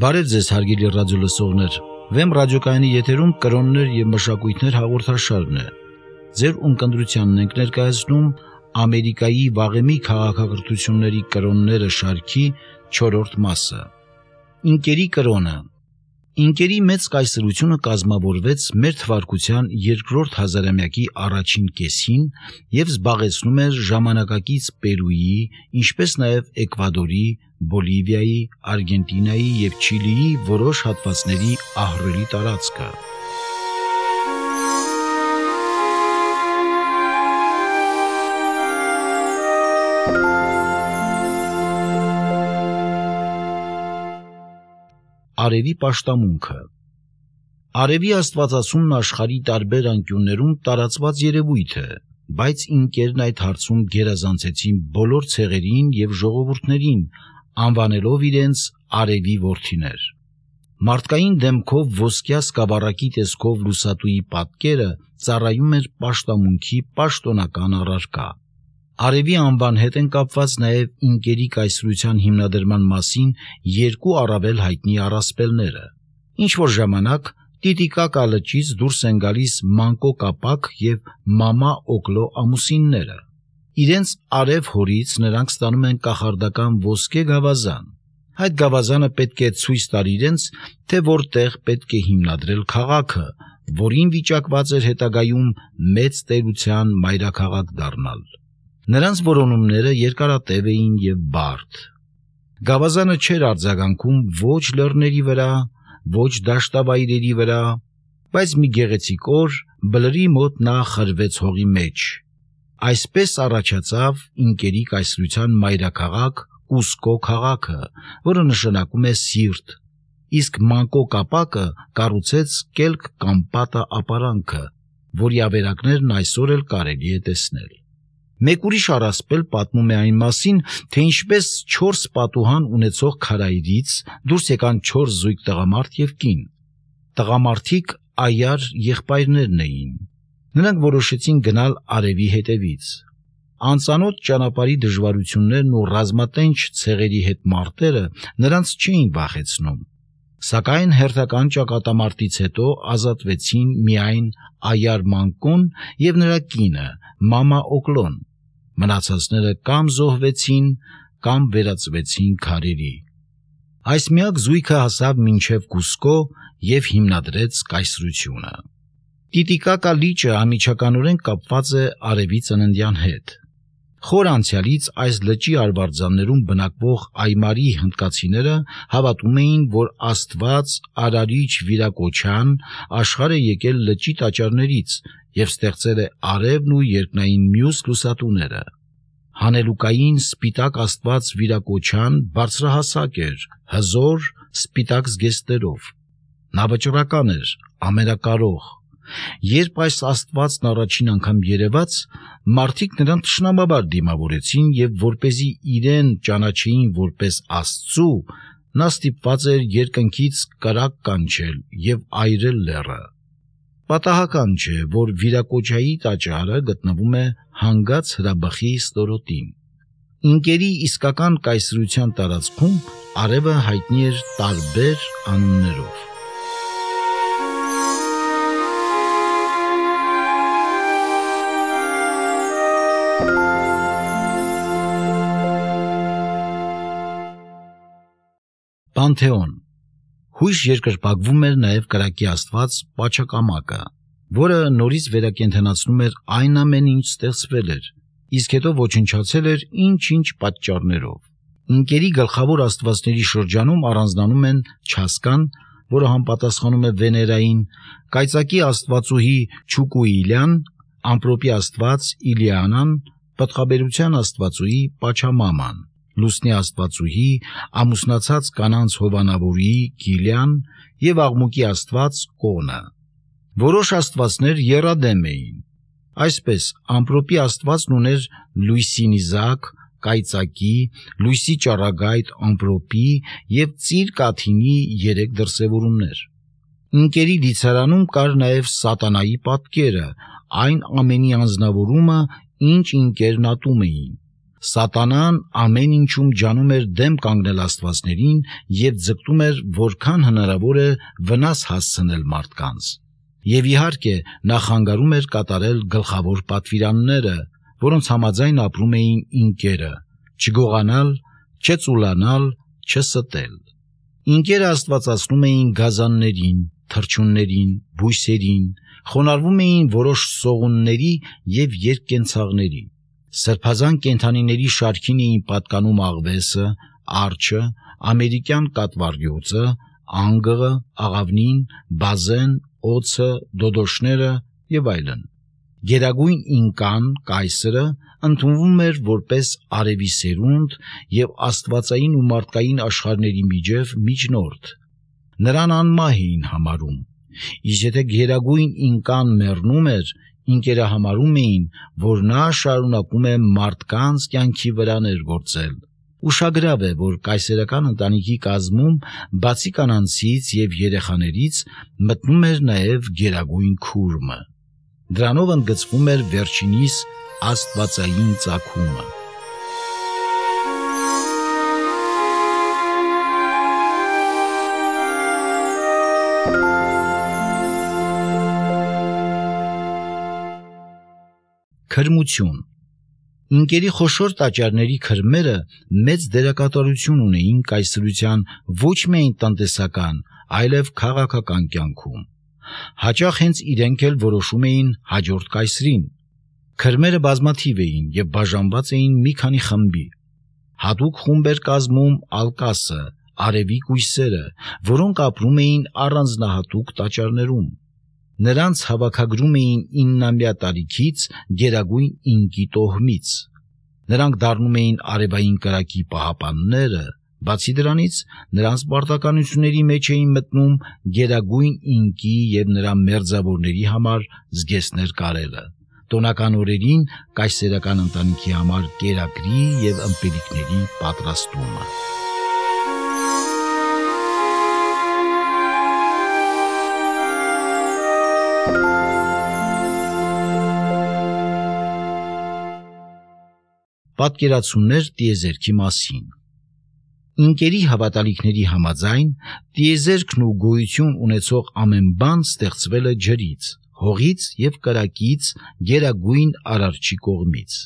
Բարև ձեզ հարգելի ռադիոլսողներ, Վեմ ռադիոկայանի եթերում կրոններ և մշակույթներ հաղորդաշարն է։ Ձեր ունկնդրությանն ենք ներկայացնում Ամերիկայի վաղեմի քաղաքակրթությունների կրոնները շարքի 4-րդ մասը։ Ինկերի կրոնը։ Ինկերի մեծ կայսրությունը կազմավորվեց մեր թվարկության 2-րդ հազարամյակի առաջին կեսին և զբաղեցնում էր ժամանակակից Պերուի, ինչպես նաև Էկվադորի, Բոլիվիայի, Արգենտինայի և Չիլիի որոշ հատվածների ահռելի տարածքը։ Արևի պաշտամունքը։ Արևի աստվածացումն աշխարհի տարբեր անկյուններում տարածված երևույթ է, բայց ինկերն այդ հարցում գերազանցեցին բոլոր ցեղերին և ժողովուրդներին, անվանելով իրենց արևի որդիներ։ Մարդկային դեմքով ոսկյա սկավառակի տեսքով լուսատուի պատկերը ծառայում էր պաշտամունքի պաշտոնական առարկա։ Արևի անվան հետ են կապված նաև ինկերի կայսրության հիմնադրման մասին երկու առավել հայտնի առասպելները։ Ինչ-որ ժամանակ Տիտիկակա լճից դուրս են գալիս Մանկո Կապակ և Մամա Օկլո ամուսինները։ Իրենց արև հորից նրանք ստանում են կախարդական ոսկե գավազան։ Այդ գավազանը պետք է ցույց տար իրենց, թե որտեղ պետք է հիմնադրել քաղաքը, որին վիճակված էր հետագայում մեծ տերության մայրաքաղաք դառնալ։ Նրանց որոնումները երկարատև էին և բարդ։ Գավազանը չէր արձագանքում ոչ լեռների վրա, ոչ դաշտավայրերի վրա, բայց մի գեղեցիկ օր բլրի մոտ նա խրվեց հողի մեջ։ Այսպես առաջացավ ինկերի կայսրության մայրաքաղաք Կուսկո քաղաքը, որը նշանակում է սիրտ, իսկ Մանկո Կապակը կառուցեց կելք կամ պատը ապարանքը, որի ավերակներն այսօր էլ կարելի է տեսնել։ Մեկ ուրիշ առասպել պատմում է այն մասին, թե ինչպես 4 պատուհան ունեցող քարայրից դուրս եկան 4 զույգ տղամարդ և կին։ Տղամարդիկ այար եղբայրներն էին։ Նրանք որոշեցին գնալ արևի հետևից։ Անծանոթ ճանապարհի դժվարություններն ու ռազմատենչ ցեղերի հետ մարտերը նրանց չէին վախեցնում։ Սակայն հերթական ճակատամարտից հետո ազատվեցին միայն այար Մանկոն և նրա կինը Մամա Օկլոն։ Մնացածները կամ զոհվեցին, կամ վերածվեցին քարերի։ Այս միակ զույգը հասավ մինչև Կուսկո և հիմնադրեց կայսրությունը։ Տիտիկակա լիճը անմիջականորեն կապված է արևի ծննդյան հետ։ Խոր անցյալից այս լճի արվարձաններում բնակվող այմարի հնդկացիները հավատում էին, որ Աստված արարիչ վիրակոչյան աշխարհ է եկել լճի տաճարներից և ստեղծել է արևն ու երկնային մյուս լուսատուները։ Հանելուկային սպիտակ Աստված վիրակոչյան բարձրահասակ էր, հզոր, սպիտակ զգեստներով։ Նա վճռական էր, ամենակարող։ Երբ այս Աստվածն առաջին անգամ երևաց, մարդիկ նրան թշնամաբար դիմավորեցին և որպեսզի իրեն ճանաչեին որպես Աստծու, նա ստիպված էր երկնքից կրակ կանչել և այրել լեռը։ Պատահական չէ, որ վիրակոչայի տաճարը գտնվում է հանգած հրաբխի ստորոտին։ Ինկերի իսկական կայսրության տարածքում արևը հայտնի էր տարբեր անուններով։ Պանթեոն։ Հույժ երկրպագվում էր նաև կրակի աստված Պաչակամակը, որը նորից վերակենդանացնում էր այն ամեն ինչ ստեղծվել էր, իսկ հետո ոչնչացել էր ինչ-ինչ պատճառներով։ Ինկերի գլխավոր աստվածների շրջանում առանձնանում են Չասկան, որը համապատասխանում է Վեներային, կայծակի աստվածուհի Չուկուիլյան, ամպրոպի աստված Իլիանան, պտղաբերության աստվածուհի Պաչամաման, լուսնի աստվածուհի, ամուսնացած կանանց հովանավորի Կիլյան և աղմուկի աստված Կոնը։ Որոշ աստվածներ եռադեմ էին։ Այսպես, ամպրոպի աստվածն ուներ լույսի նիզակ, կայծակի, լույսի ճառագայթ ամպրոպի և ծիր կաթինի 3 դրսևորումներ։ Ինկերի դիցարանում կար նաև սատանայի պատկերը, այն ամենի անձնավորումը, ինչ ինկերն ատում էին։ Սատանան ամեն ինչում ջանում էր դեմ կանգնել աստվածներին և ձգտում էր որքան հնարավոր է վնաս հասցնել մարդկանց։ Եվ իհարկե նա խանգարում էր կատարել գլխավոր պատվիրանները, որոնց համաձայն ապրում էին ինկերը՝ չգողանալ, չծուլանալ, չստել։ Ինկերը աստվածացնում էին գազաններին, թռչուններին, բույսերին, խոնարհվում էին որոշ սողունների և երկկենցաղների։ Սրբազան կենդանիների շարքին էին պատկանում աղվեսը, արջը, ամերիկյան կատվառյուծը, անգղը, աղավնին, բազեն, օձը, դոդոշները և այլն։ Գերագույն ինկան, կայսրը, ընդունվում էր որպես արևի սերունդ և աստվածային ու մարդկային աշխարհների միջև միջնորդ։ Նրան անմահ էին համարում։ Իսկ եթե գերագույն ինկան մեռնում էր, ինկերը համարում էին, որ նա շարունակում է մարդկանց կյանքի վրա ներգործել։ Ուշագրավ է, որ կայսերական ընտանիքի կազմում բացի կանանցից և երեխաներից մտնում էր նաև գերագույն քուրմը։ Դրանով ընդգծվում էր վերջինիս աստվածային ծագումը։ Քրմություն։ Ինկերի խոշոր տաճարների քրմերը մեծ դերակատարություն ունեին կայսրության ոչ միայն տնտեսական, այլև քաղաքական կյանքում։ Հաճախ հենց իրենք էլ որոշում էին հաջորդ կայսրին։ Քրմերը բազմաթիվ էին և բաժանված էին մի քանի խմբի։ Հատուկ խումբ էր կազմում ալկասը, արևի կույսերը, որոնք ապրում էին առանձնահատուկ տաճարներում։ Նրանց հավաքագրում էին 9-ամյա տարիքից գերագույն ինկի տոհմից։ Նրանք դառնում էին արևային կրակի պահապանները, բացի դրանից նրանց պարտականությունների մեջ էին մտնում գերագույն ինկի և նրա մերձավորների համար զգեստներ կարելը, տոնական օրերին կայսերական ընտանիքի համար կերակրի և ըմպելիքների պատրաստումը։ Պատկերացումներ տիեզերքի մասին։ Ինկերի հավատալիքների համաձայն տիեզերքն ու գոյություն ունեցող ամեն բան ստեղծվել է ջրից, հողից և կրակից գերագույն Արարչի կողմից։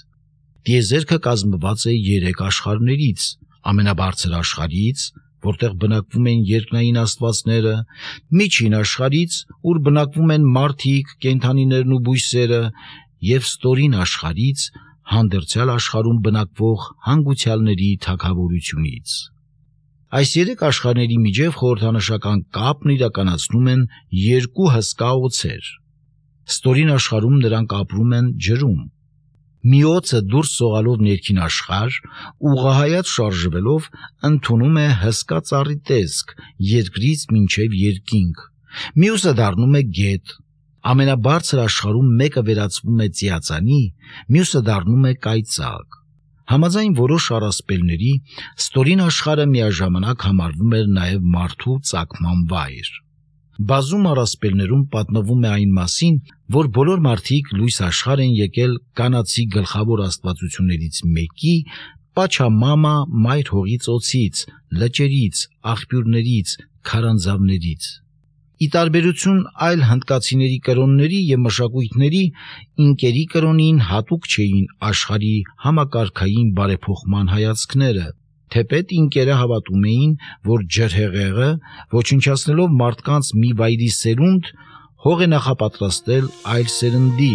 Տիեզերքը կազմված է 3 աշխարհներից՝ ամենաբարձր աշխարհից, որտեղ բնակվում են երկնային աստվածները, միջին աշխարհից, ուր բնակվում են մարդիկ, կենդանիներն ու բույսերը, և ստորին աշխարհից, հանդերձյալ աշխարհում բնակվող հանգուցյալների թագավորությունից։ Այս 3 աշխարհների միջև խորհրդանշական կապն իրականացնում են 2 հսկա օձեր։ Ստորին աշխարհում նրանք ապրում են ջրում։ Մի օձը դուրս սողալով ներքին աշխարհ, ուղղահայաց շարժվելով ընդունում է հսկա ծառի տեսք երկրից մինչև երկինք, մյուսը դառնում է գետ։ Ամենաբարձր աշխարհում մեկը վերածվում է ծիածանի, մյուսը դառնում է կայծակ։ Համաձայն որոշ առասպելների, ստորին աշխարհը միաժամանակ համարվում էր նաև մարդու ծագման վայր։ Բազում առասպելներում պատմվում է այն մասին, որ բոլոր մարդիկ լույս աշխարհ են եկել կանացի գլխավոր աստվածություններից մեկի Պաչամամա մայր հողի ծոցից, լճերից, աղբյուրներից, քարանձավներից։ Ի տարբերություն այլ հնդկացիների կրոնների և մշակույթների, ինկերի կրոնին հատուկ չէին աշխարհի համակարգային բարեփոխման հայացքները, թեպետ ինկերը հավատում էին, որ ջրհեղեղը, ոչնչացնելով մարդկանց մի վայրի սերունդ, հող է նախապատրաստել այլ սերնդի,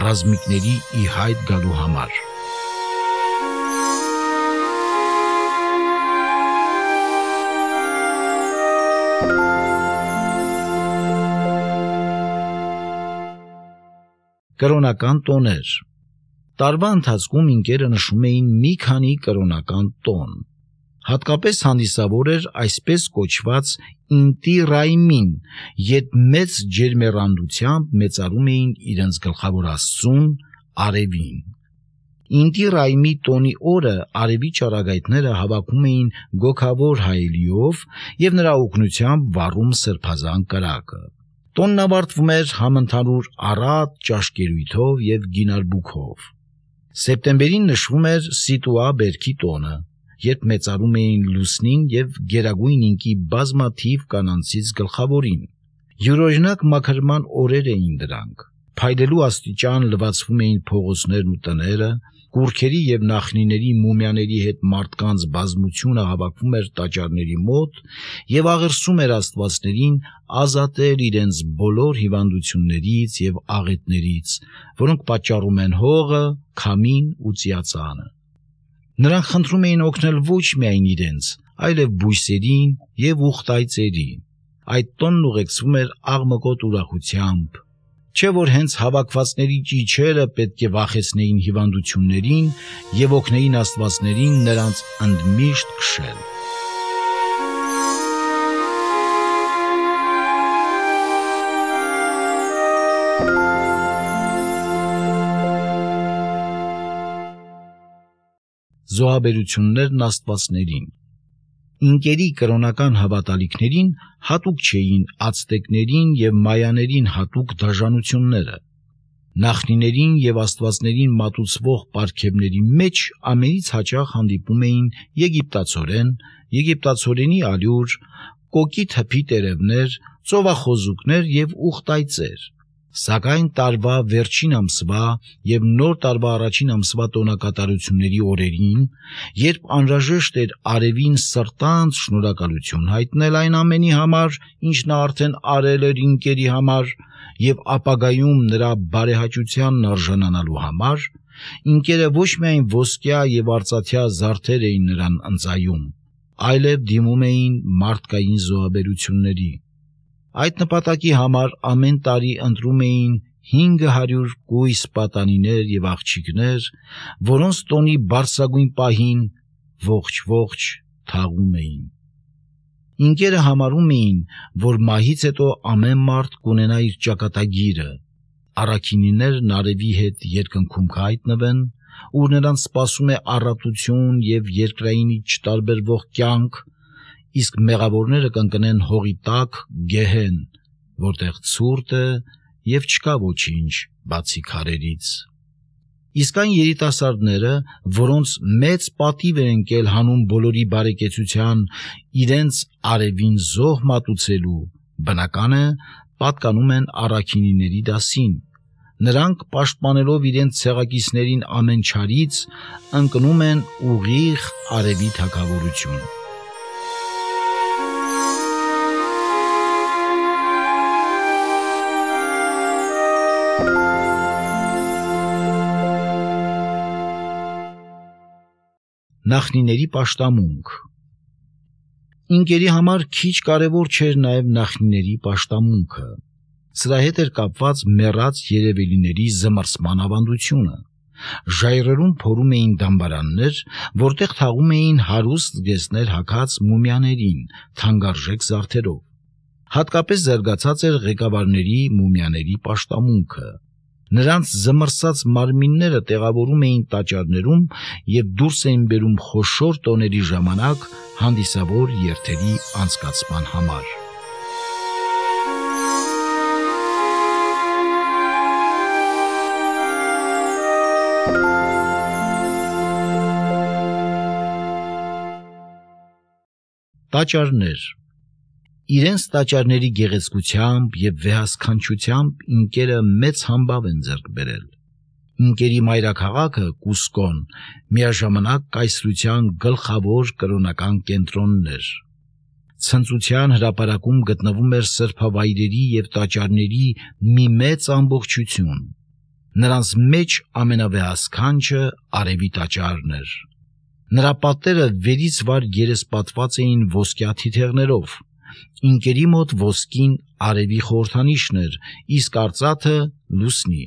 ռազմիկների ի հայտ գալու համար։ Կրոնական տոներ։ Տարվա ընթացքում ինկերը նշում էին մի քանի կրոնական տոն։ Հատկապես հանդիսավոր էր այսպես կոչված ինտի ռայմին, երբ մեծ ջերմեռանդությամբ մեծարում էին իրենց գլխավոր աստծուն՝ արևին։ Ինտի ռայմի տոնի օրը արևի ճառագայթները հավաքում էին գոգավոր հայելիով և նրա օգնությամբ վառում սրբազան կրակը։ Տոնն ավարտվում էր համընդհանուր առատ ճաշկերույթով և գինարբուքով։ Սեպտեմբերին նշվում էր Սիտուա բերքի տոնը, երբ մեծարում էին Լուսնին և Գերագույն ինկի բազմաթիվ կանանցից գլխավորին։ Յուրօրինակ մաքրման օրեր էին դրանք։ Փայլելու աստիճան լվացվում էին փողոցներն ու տները, կուռքերի և նախնիների մումիաների հետ մարդկանց բազմությունը հավաքվում էր տաճարների մոտ և աղերսում էր աստվածներին ազատել իրենց բոլոր հիվանդություններից և աղետներից, որոնք պատճառում են հողը, քամին ու ծիածանը։ Նրանք խնդրում էին օգնել ոչ միայն իրենց, այլև բույսերին և ուխտայծերին։ Այդ տոնն ուղեկցվում էր աղմկոտ ուրախությամբ, չէ՞ որ հենց հավաքվածների ճիչերը պետք է վախեցնեին հիվանդություններին և օգնեին աստվածներին նրանց ընդմիշտ քշել։ Զոհաբերություններն աստվածներին։ Ինկերի կրոնական հավատալիքներին հատուկ չէին ացտեկներին և մայաներին հատուկ դաժանությունները։ Նախնիներին և աստվածներին մատուցվող պարգևների մեջ ամենից հաճախ հանդիպում էին եգիպտացորեն, եգիպտացորենի ալյուր, կոկի թփի տերևներ, ծովախոզուկներ և ուխտայծեր։ Սակայն տարվա վերջին ամսվա և նոր տարվա առաջին ամսվա տոնակատարությունների օրերին, երբ անհրաժեշտ էր արևին սրտանց շնորհակալություն հայտնել այն ամենի համար, ինչ նա արդեն արել էր ինկերի համար և ապագայում նրա բարեհաճությանն արժանանալու համար, ինկերը ոչ միայն ոսկյա և արծաթյա զարդեր էին նրան ընծայում, այլև դիմում էին մարդկային զոհաբերությունների։ Այդ նպատակի համար ամեն տարի ընտրում էին 500 կույս պատանիներ և աղջիկներ, որոնց տոնի բարձրագույն պահին ողջ թաղում էին։ Ինկերը համարում էին, որ մահից հետո ամեն մարդ կունենա իր ճակատագիրը, առաքինիներն արևի հետ երկնքում կհայտնվեն, ուր նրանց սպասում է առատություն և երկրայինից չտարբերվող կյանք, իսկ մեղավորները կընկնեն հողի տակ գեհեն, որտեղ ցուրտ է և չկա ոչինչ բացի քարերից։ Իսկ այն երիտասարդները, որոնց մեծ պատիվ էր ընկել հանուն բոլորի բարեկեցության իրենց արևին զոհ մատուցելու, բնական է, պատկանում են առաքինիների դասին։ Նրանք, պաշտպանելով իրենց ցեղակիցներին ամեն չարից, ընկնում են ուղիղ արևի թագավորություն։ Նախնիների պաշտամունք։ Ինկերի համար քիչ կարևոր չէր նաև նախնիների պաշտամունքը։ Սրա հետ էր կապված մեռած երևելիների զմռսման ավանդությունը։ Ժայռերում փորում էին դամբարաններ, որտեղ թաղում էին հարուստ զգեստներ հագած մումիաներին թանկարժեք զարդերով։ Հատկապես զարգացած էր ղեկավարների մումիաների պաշտամունքը։ Նրանց զմռսած մարմինները տեղավորում էին տաճարներում և դուրս էին բերում խոշոր տոների ժամանակ հանդիսավոր երթերի անցկացման համար։ Տաճարներ։ Իրենց տաճարների գեղեցկությամբ և վեհասքանչությամբ ինկերը մեծ համբավ են ձեռք բերել։ Ինկերի մայրաքաղաքը Կուսկոն միաժամանակ կայսրության գլխավոր կրոնական կենտրոնն էր։ Ցնծության հրապարակում գտնվում էր սրբավայրերի և տաճարների մի մեծ ամբողջություն։ Նրանց մեջ ամենավեհասքանչը արևի տաճարն էր։ Նրա պատերը վերից վար երեսպատված էին ոսկյա թիթեղներով։ Ինկերի մոտ ոսկին արևի խորհրդանիշն էր, իսկ արծաթը լուսնի։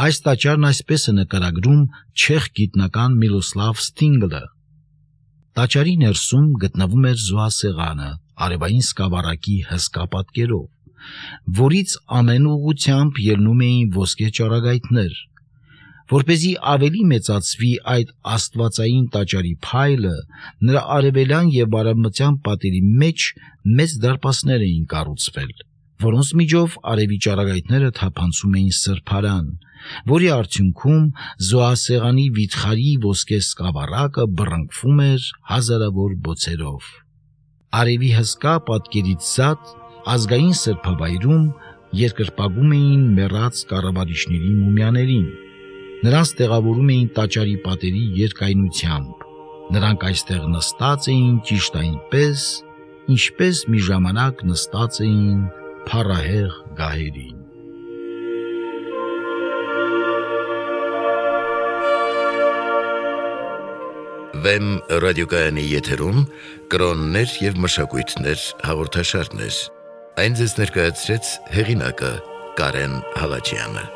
Այս տաճարն այսպես է նկարագրում չեխ գիտնական Միլոսլավ Ստինգլը։ Տաճարի ներսում գտնվում էր զոհասեղանը արևային սկավառակի հսկա պատկերով, որից ամեն ուղղությամբ ելնում էին ոսկե ճառագայթներ։ Որպեսզի ավելի մեծացվի այդ աստվածային տաճարի փայլը, նրա արևելյան և արևմտյան պատերի մեջ մեծ դարպասներ էին կառուցվել, որոնց միջով արևի ճառագայթները թափանցում էին սրբարան, որի արդյունքում զոհասեղանի վիթխարի ոսկե սկավառակը բռնկվում էր հազարավոր բոցերով։ Արևի հսկա պատկերից զատ ազգային սրբավայրում երկրպագում էին մեռած կառավարիչների մումիաներին։ Նրանց տեղավորում էին տաճարի պատերի երկայնությամբ։ Նրանք այստեղ նստած էին ճիշտ այնպես, ինչպես մի ժամանակ նստած էին փառահեղ գահերին։ Վեմ ռադիոկայանի եթերում կրոններ և մշակույթներ հաղորդաշարներ։ Այն ձեզ ներկայացրեց հեղինակը Կարեն Հալաջյանը։